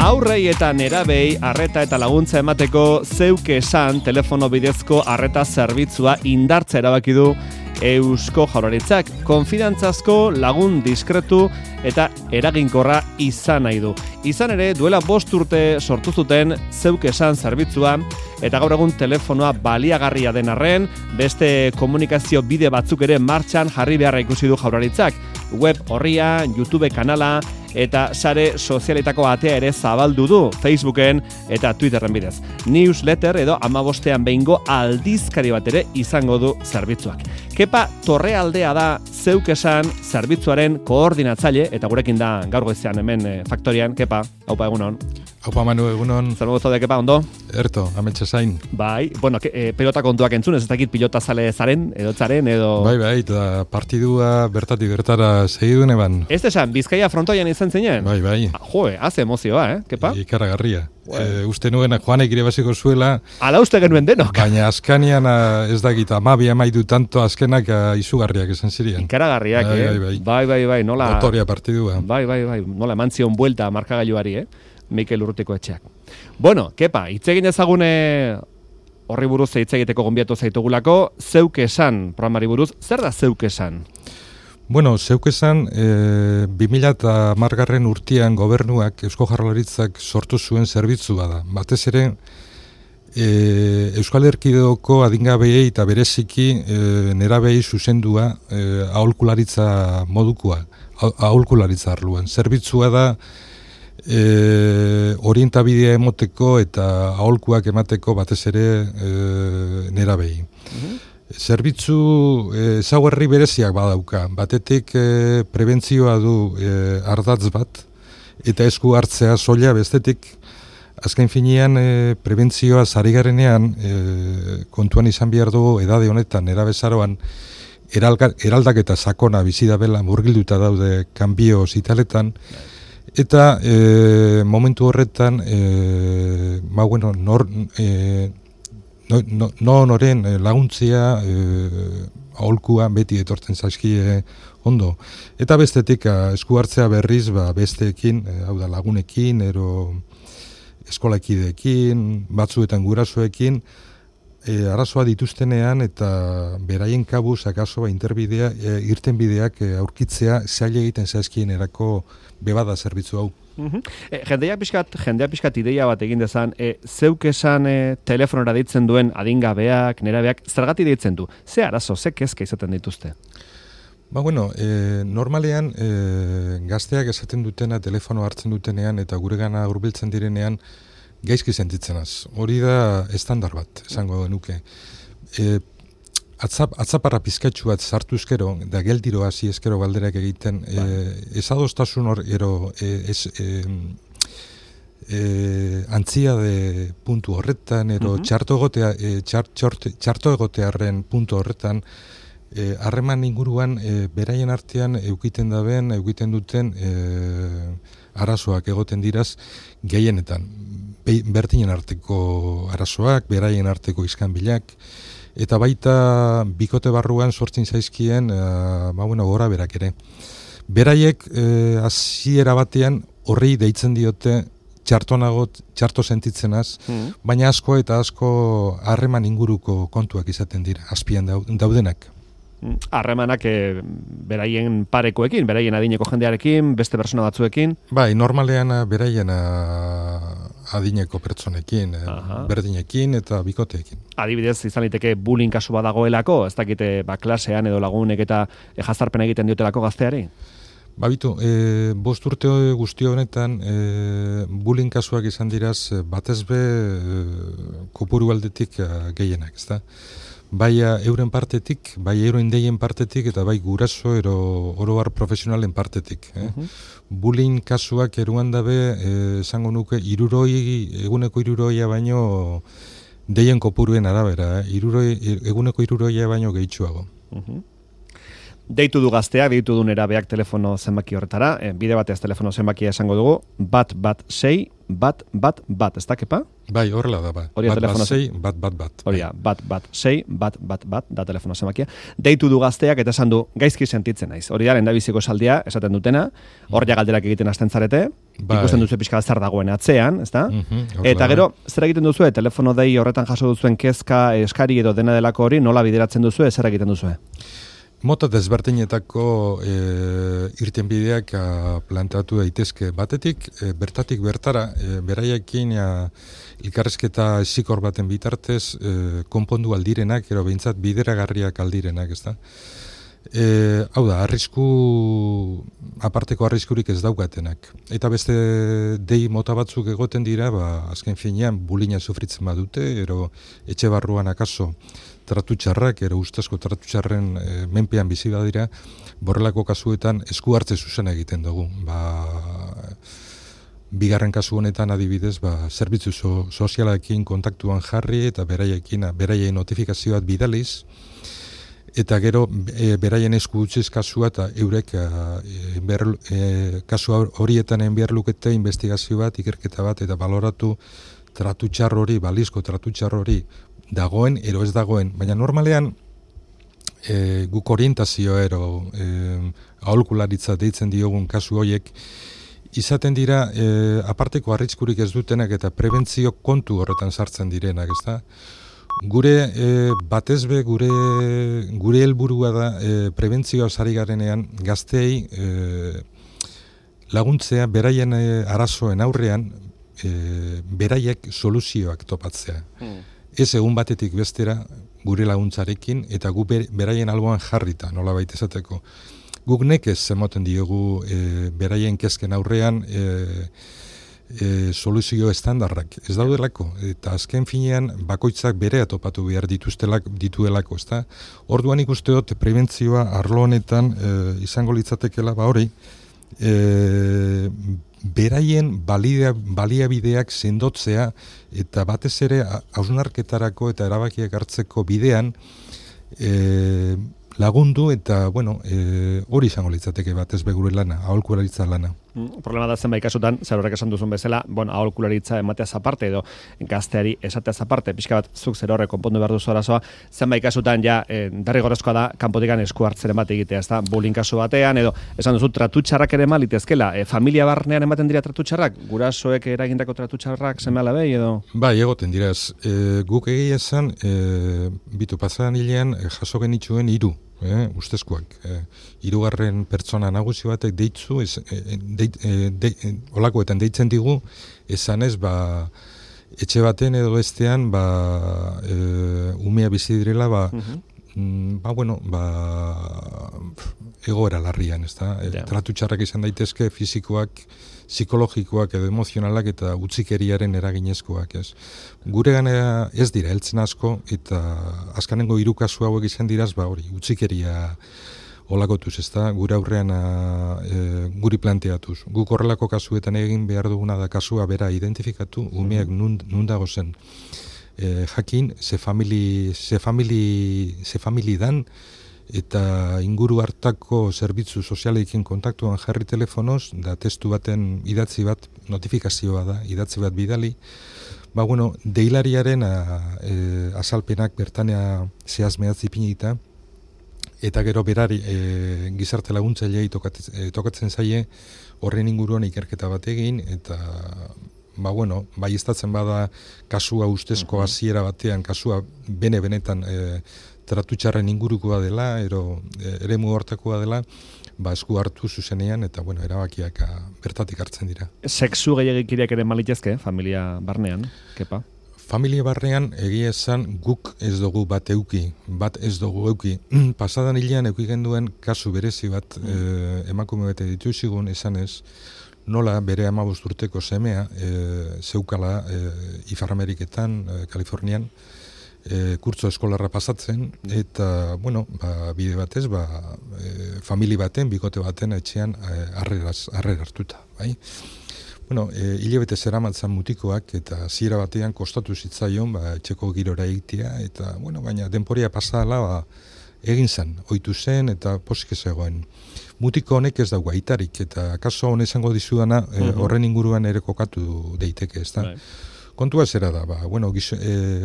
Aurrei eta nerabei arreta eta laguntza emateko zeuk esan telefono bidezko arreta zerbitzua indartza erabaki du Eusko Jaurlaritzak. Konfidantzazko, lagun diskretu eta eraginkorra izan nahi du. Izan ere, duela 5 urte sortu zuten zeuk esan zerbitzua eta gaur egun telefonoa baliagarria den arren, beste komunikazio bide batzuk ere martxan jarri beharra ikusi du Jaurlaritzak. Web orria, YouTube kanala eta sare sozialetako atea ere zabaldu du Facebooken eta Twitterren bidez. Newsletter edo 15ean behingo aldizkari bat ere izango du zerbitzuak. Kepa Torrealdea da zeuk esan zerbitzuaren koordinatzaile eta gurekin da gaur goizean hemen Faktorian. Kepa, haupa egunon. Haupa Manu, egunon. Zer modu zaude, Kepa, ondo? Erto, ametxe zain. Bai, bueno, pelota kontuak entzun, ez dakit pilota zale zaren, edo... Bai, eta partidua bertatik bertara segidun eban. Ez esan, Bizkaia frontoian izan zinen? Bai. Joe, haze emozioa, Kepa? Ikaragarria. Uste nuen Juanek irebaziko zuela. Ala uste genuen denok. Baina azkanian ez dakit, amabia maidu tanto azkenak izugarriak esan zirien. Ikaragarriak, Bai, nola... Notoria partidua. Bai, nola emantzion buelta markagailuari, Mikel Urrutiko etxeak. Bueno, Kepa, itzegin ezagune horri buruz hitz egiteko gonbiatu zaitugulako, zeuk esan programari buruz, zer da zeuk esan? Bueno, zeuk esan 2010 urtean gobernuak, Eusko Jaurlaritzak sortu zuen zerbitzua da. Batez ere, Euskal Erkidegoko adingabeei eta bereziki nerabei zuzendua aholkularitza modukoa, aholkularitza arloan. Zerbitzua da orientabidea emoteko eta aholkuak emateko batez ere nerabei. Zerbitzu ezaugarri bereziak badauka. Batetik prebentzioa du ardatz bat eta esku hartzea soila, bestetik azken finean prebentzioa zarigarenean kontuan izan behar dugu edade honetan, erabezaroan eraldaketa sakona bizi dabela, murgilduta daude kanbio zitaletan. Eta momentu horretan, noren laguntzia aholkua beti etortzen zaizkie ondo. Eta bestetik esku hartzea berriz besteekin, hau da lagunekin, ero eskolakideekin, batzuetan gurasoekin, arazoa dituztenean eta beraien kabuz akaso irtenbideak aurkitzea zaila egiten zaizkien erako bebada zerbitzu hau. Jendeak pixkat ideia bat egin dezan, zeuk esan telefonora deitzen duen adingabeak, nerabeak, zergatik deitzen du? Ze arazo, ze kezka izaten dituzte? Normalean gazteak esaten dutena, telefono hartzen dutenean eta guregana hurbiltzen direnean gaizki sentitzenaz. Hori da estandar bat, esango nuke. Atzaparra pizkatxu bat sartuzkero, da geldiro hasi eskero galderak egiten, ezadostasun hor, antzia de puntu horretan, txarto egotearen puntu horretan, harreman inguruan beraien artean eukiten duten arazoak egoten diraz gehienetan. Bertinen arteko arazoak, beraien arteko iskanbilak, eta baita bikote barruan sortzen zaizkien gora berak ere. Beraiek hasiera batean horri deitzen diote txarto sentitzenaz, baina asko harreman inguruko kontuak izaten dira, azpian daudenak. Harremanak beraien parekoekin, beraien adineko jendearekin, beste persona batzuekin? Bai, normalean beraien adineko pertsonekin, berdinekin eta bikoteekin. Adibidez, izan liteke bullying kasu badagoelako, ez dakite klasean edo lagunek eta jazarpena egiten diotelako gazteari? Bitu, 5 urte guzti honetan bullying kasuak izan diraz batez be kopuru aldetik gehienak, ezta? Bai euren partetik, bai euren deien partetik, eta bai guraso oroar profesionalen partetik. Bullying kasuak eruan dabe, esango nuke, eguneko 60 baino deien kopuruen arabera, eguneko 60 baino gehitsuago. Deitu du gazteak, deitu du nerabeak telefono zenbaki horretara, bide batez telefono zenbakia esango dugu, 116 111, ez da, Kepa? Bai, horrela da, Hori da telefono sei, bat. Hori da, bat, sei, bat, da telefono zemakia. Deitu du gazteak eta esan du, gaizki sentitzen naiz. Hori da, lehendabiziko esaldia, esaten dutena, hor ja galderak egiten hasten zarete, ikusten duzu pixka zer dagoen atzean, ezta? Eta gero, zer egiten duzu, telefono dei horretan jaso duzuen kezka, eskari edo dena delako hori, nola bideratzen duzu, zer egiten duzu? Mota desberdinetako irtenbideak planteatu daitezke. Batetik, bertatik bertara, beraiekin elkarrizketa esikor baten bitartez konpondu aldirenak, ero behintzat bideragarriak aldirenak, ezta? Hau da, aparteko arriskurik ez daukatenak. Eta beste dei mota batzuk egoten dira, azken finean bulina sufritzen badute, ero etxe barruan akaso tratu txarrak, ero ustezko tratu txarren menpean bizi badira, borrelako kasuetan esku hartze zuzen egiten dugu. Bigarren kasu honetan adibidez, zerbitzu sozialarekin kontaktuan jarri eta beraien notifikazioat bidaliz, eta gero beraien esku utziz kasua eta eurek kasu horietan enbiar lukete investigazio bat, ikerketa bat, eta baloratu tratu txar hori, balizko tratu txar hori dagoen, ero ez dagoen, baina normalean guk orientazio ero aholkularitza deitzen diogun kasu horiek izaten dira aparteko arriskurik ez dutenak eta prebentzio kontu horretan sartzen direnak, ezta? Gure batezbe gure helburua da prebentzioa sari garenean gazteei laguntzea beraien arazoen aurrean beraiek soluzioak topatzea. Ez egun batetik bestera gure laguntzarekin eta gu beraien alboan jarrita, nolabait esateko. Guk nekez emoten diogu beraien kezken aurrean soluzio estandarrak ez daudelako, eta azken finean bakoitzak berea topatu behar dituelako, ezta? Orduan ikusteot prebentzioa arlo honetan izango litzatekela hori, beraien baliabideak sendotzea eta batez ere hausnarketarako eta erabakiak hartzeko bidean lagundu eta hori izango litzateke batez begure lana, aholkularitza lana. Problema da zenbait kasutan, zer horrek esan duzun bezala, aholkularitza emateaz aparte edo gazteari esateaz aparte, pixka bat zuk zer horrek konpondu behar duzu arazoa, zenbait kasutan ja derrigorrezkoa da kanpotikan esku hartzeren bat egitea, ezta? Bullying kasu batean edo esan duzu tratu txarrak ere malitezkela, familia barnean ematen dira tratu txarrak, gurasoek eragindako tratu txarrak seme-alabei edo? Bai, egoten dira ez. Guk egia esan bitu pasadan hilean jaso genituen 3 ustezkoak. 3. pertsona nagusi batek deitzu, olakoetan deitzen digu, esanez, etxe baten edo bestean, umea bizi direla, egoera larrian, ezta? Tratu txarrak izan daitezke, fisikoak, psikologikoak edo emozionalak eta utzikeriaren eraginezkoak, ez. Gure gana ez dira, heltzen asko, eta azkanengo 3 kasu hauek izan diraz, hori, utzikeria olakotuz, ezta, gure aurrean guri planteatuz. Guk horrelako kasuetan egin behar duguna da kasua bera identifikatu, umeak nun dago zen. Jakin, ze famili dan, eta inguru hartako zerbitzu sozialekin kontaktuan jarri telefonoz, da testu baten idatzi bat, notifikazioa da, idatzi bat bidali, deilariaren azalpenak bertanea zehazmeatzi pinita, eta gero berari gizarte laguntzailei tokatzen zaie horren inguruan ikerketa bat egin, eta baieztatzen bada kasua ustezko hasiera batean, kasua benetan tratu txarren ingurukoa dela, eremu hortakoa dela, esku hartu zuzenean, eta erabakiak bertatik hartzen dira. Sexu gehiagikiriak ere malitezke, familia barnean, kepa? Familia barnean egia esan guk ez dugu bat ez dugu euki. Pasadan hilean euki genduen kasu berezi bat emakume bete dituzigun esanez, nola bere 15 urteko semea zeukala Ipar-Ameriketan, Kalifornian, kurtso eskolarra pasatzen, eta, bide batez, famili baten, bikote baten etxean harrera hartuta, bai? Hilabete zeramatzan mutikoak, eta zira batean kostatu zitzaion, etxeko girora egitea, eta, baina denporia pasadala, egin zen, ohitu zen, eta posik ez egoen. Mutiko honek ez dago aitarik, eta kaso hone izango dizudana horren inguruan ere kokatu daiteke, ez da? Kontua zera da,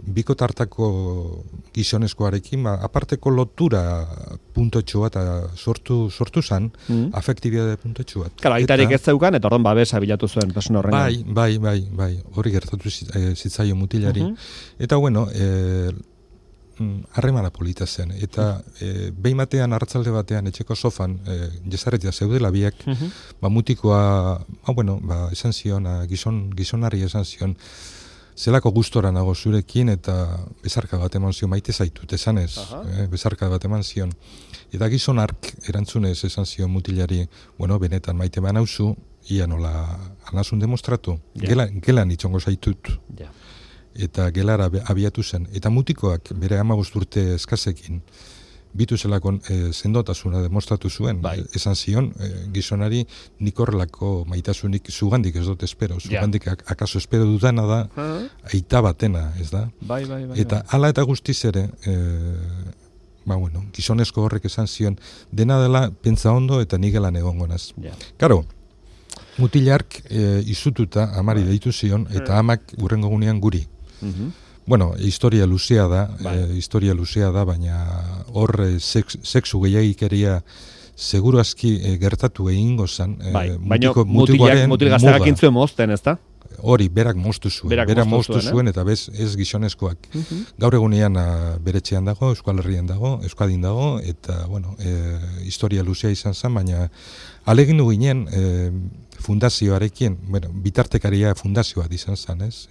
biko tartako gizonezkoarekin, aparteko lotura puntotxo bat sortu zan, afektibidade puntotxo bat. Claro, aitarik ez zeukan, eta orduan babesa bilatu zuen persona horren. Bai, hori gertatu zitzaio mutilari. Eta harremana polita zen, eta behin batean, arratzalde batean, etxeko sofan, jesarretia zeudela biak, mutikoa, esan zion, gizonari esan zion, zelako gustora nago zurekin, eta bezarka bat eman zion, maite zaitut, esan ez, bezarka bat eman zion. Eta gizon ark erantzunez esan zion mutilari, benetan maite man hauzu, ia nola anazun demostratu, gelan itxongo zaitut. Eta gelara abiatu zen. Eta mutikoak bere 15 urte eskasekin bitu zelako sendotasuna demostratu zuen. Esan zion, gizonari nik horrelako maitasunik zugandik ez dut espero. Zugandik akaso espero dudana da, aita batena, ez da? Eta hala eta guztiz ere, gizonezko horrek esan zion, dena dela pentsa ondo eta nigelan egongonaz. Karo, mutilark izututa amari deitu zion, eta amak urrengo gunean guri. Historia luzea da, baina hor sexu gehiagikeria seguru aski gertatu egingo zen. Baina mutil gazterak intzuen mozten, ez da? Hori, berak moztu zuen, eta ez gizonezkoak. Gaur egunean beretxean dago, Euskadin dago, eta, historia luzea izan zen, baina alegindu ginen fundazioarekin, bitartekaria fundazioa izan zen, ez?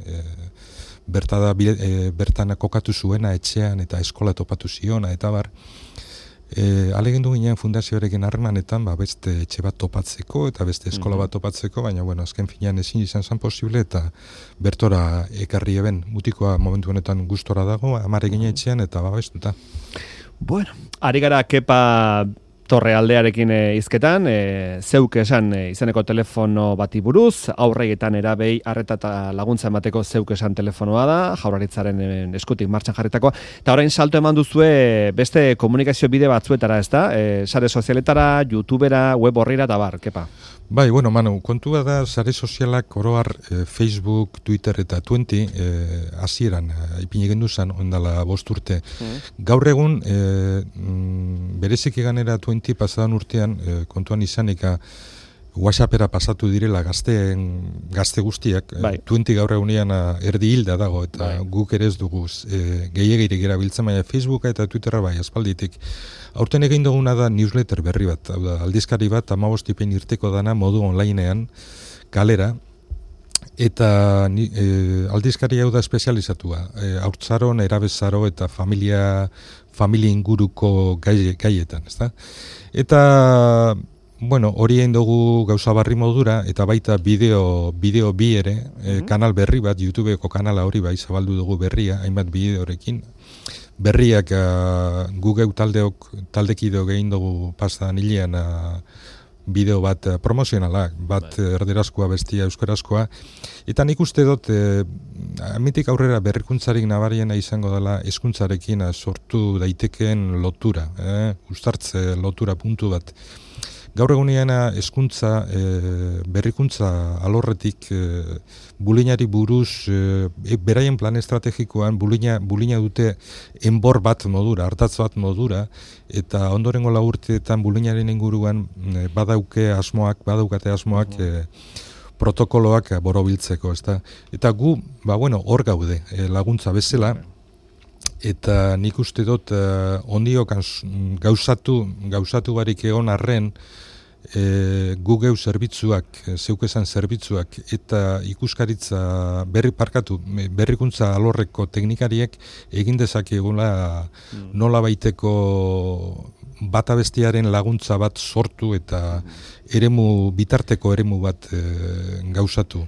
Bertana kokatu zuena etxean eta eskola topatu ziona eta bar. Alegindu ginen fundazioarekin harremanetan beste etxe bat topatzeko eta beste eskola bat topatzeko, baina azken finean ezin izan zen posible eta bertora ekarri eben mutikoa momentu honetan gustora dago, amarekin etxean eta babestuta. Bueno, ari gara Kepa Torrealdearekin hizketan, zeuk esan izeneko telefono bati buruz, aurregetan erabei arreta eta laguntza emateko zeuk esan telefonoa da, Jaurlaritzaren eskutik martxan jarritakoa, eta orain salto eman duzue beste komunikazio bide batzuetara, ez da? Sare sozialetara, YouTubera, web horrira eta bar, Kepa? Bai, Manu, kontua da sare sozialak oroar Facebook, Twitter eta 20 hasieran ipini genduzan ondala 5 urte. Gaur egun berezik eganera 20 pasadan urtean kontuan izanika WhatsAppera pasatu direla gazte guztiak, 20 gaur egunean erdi hilda dago eta guk ere ez dugu gehiagirik erabiltzen, baina Facebooka eta Twitterra bai aspalditik. Aurten egin duguna da newsletter berri bat, aldizkari bat 15 tipen irteko dana modu onlinean kalera, eta aldizkari hau da espezializatua, haurtzaron, erabezaro eta familia inguruko gaietan, ezta? Eta hori egin dugu gauza barri modura, eta baita bideo bi ere, kanal berri bat, YouTubeko kanala hori bai zabaldu dugu berria, hainbat bideorekin. Berriak Google taldekideo egin dugu pasadan hilean bideo bat promozionala, bat erderazkoa bestia euskarazkoa, eta nik uste dut amitik aurrera berrikuntzarik nabariena izango dela hezkuntzarekin sortu daitekeen lotura, uztartze lotura puntu bat. Gaur egunean hezkuntza berrikuntza alorretik bulinari buruz beraien plan estrategikoan bulina dute enbor bat modura, hartatz bat modura, eta ondorengo 4 urteetan bulinaren inguruan badaukate asmoak protokoloak borobiltzeko, ezta? Eta gu, hor gaude laguntza bezala, eta nik uste dut ondiok gauzatu barik egon arren Google zerbitzuak, zeukezan zerbitzuak eta ikuskaritza berrikuntza alorreko teknikariek egin dezakegula nola baiteko bata bestiaren laguntza bat sortu eta bitarteko eremu bat gauzatu.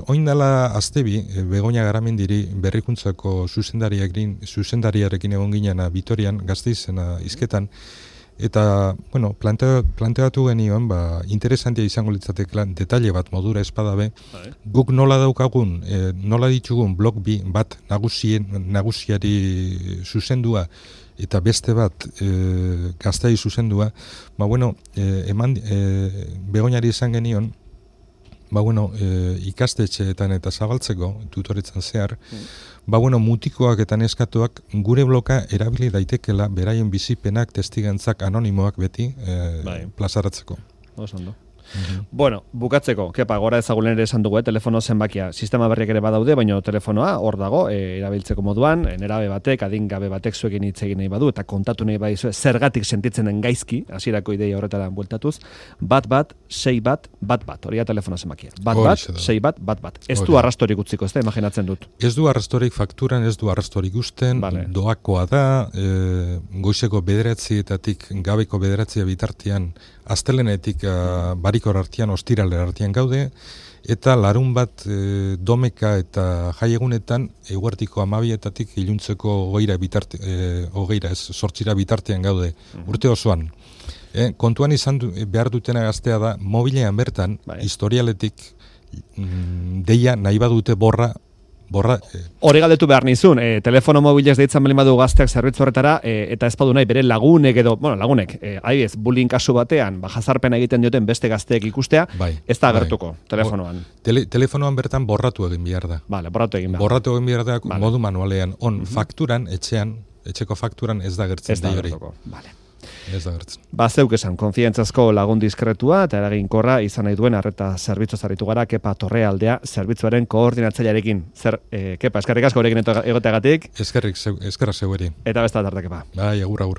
Oin dela aztebi, Begoña Garamendiri berrikuntzako zuzendariarekin egon ginen Vitorian, Gasteizena hizketan, eta, planteatu genion, interesantia izango litzateke detaile bat modura espadabe, guk nola daukagun, nola ditugun blog bat nagusiari zuzendua, eta beste bat Gasteiz zuzendua, Begoñari izan genion, Ikastetxeetan eta zabaltzeko, tutoritzen zehar, mutikoak eta neskatuak gure bloka erabili daitekela beraien bizipenak, testigantzak, anonimoak beti plazaratzeko. Ondo. Bueno, bukatzeko, kepa, gora ezagulen ere esan dugu, telefono zenbakia. Sistema berriak ere badaude, baina telefonoa hor dago, erabiltzeko moduan, nerabe batek, adingabe batek zuekin hitz egin nahi badu, eta kontatu nahi badizu, zergatik sentitzen den gaizki, hasierako ideia horretara bueltatuz, 1-6-1-1, hori da telefono zenbakia. 1-6-1-1. Ez du arrastorik utziko, ez da, imaginatzen dut. Ez du arrastorik fakturan, ez du arrastorik usten, doakoa da, goizeko 9:00 gabeko 9:00 bitartean, astelenetik barikor artean, ostiraler artean gaude, eta larun bat domeka eta jaiegunetan eguertiko 12:00 iluntzeko 8:00 bitartean gaude, urte osoan. Kontuan izan behar dutena gaztea da, mobilean bertan, historialetik deia nahi badute borra. Hori galdetu behar nizun, telefono mobilez deitzen bali badu gazteak zerbitzu horretara, eta ez badu nahi bere lagunek edo, lagunek, adibidez, bullying kasu batean, jazarpena egiten dioten beste gazteek ikustea, ez da agertuko telefonoan. Telefonoan bertan borratu egin behar da. Borratu egin behar da modu manualean. Fakturan, etxeko fakturan ez da gertzen. Ez da agertuko, Ez da gertzen. Zeuk esan, konfidentzazko lagun diskretua eta eraginkorra izan nahi duen arreta zerbitzu zaritu gara, Kepa Torrealdea zerbitzuaren koordinatzailearekin. Kepa, eskerrik asko horrekin egoteagatik. Eskerra zeueri. Eta besta tarde, Kepa. Agur.